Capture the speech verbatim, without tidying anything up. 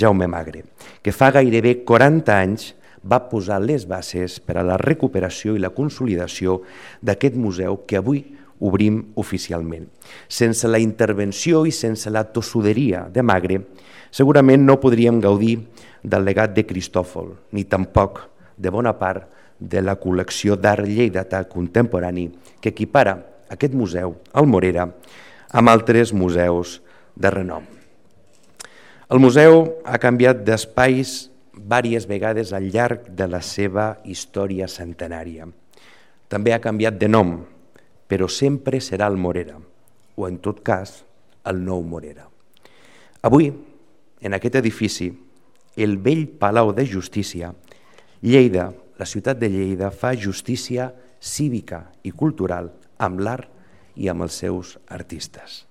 Jaume Magre, que fa gairebé quaranta anys va posar les bases per a la recuperació i la consolidació d'aquest museu que avui obrim oficialment. Sense la intervenció i sense la tossuderia de Magre, segurament no podríem gaudir del legat de Cristòfol, ni tampoc de bona part de la col·lecció d'art lleidatà contemporani que equipara aquest museu, el Morera, amb altres museus de renom. El museu ha canviat d'espais diverses vegades al llarg de la seva història centenària. També ha canviat de nom, però sempre serà el Morera, o en tot cas, el nou Morera. Avui, en aquest edifici, el vell Palau de Justícia, Lleida, la ciutat de Lleida, fa justícia cívica i cultural amb l'art i amb els seus artistes.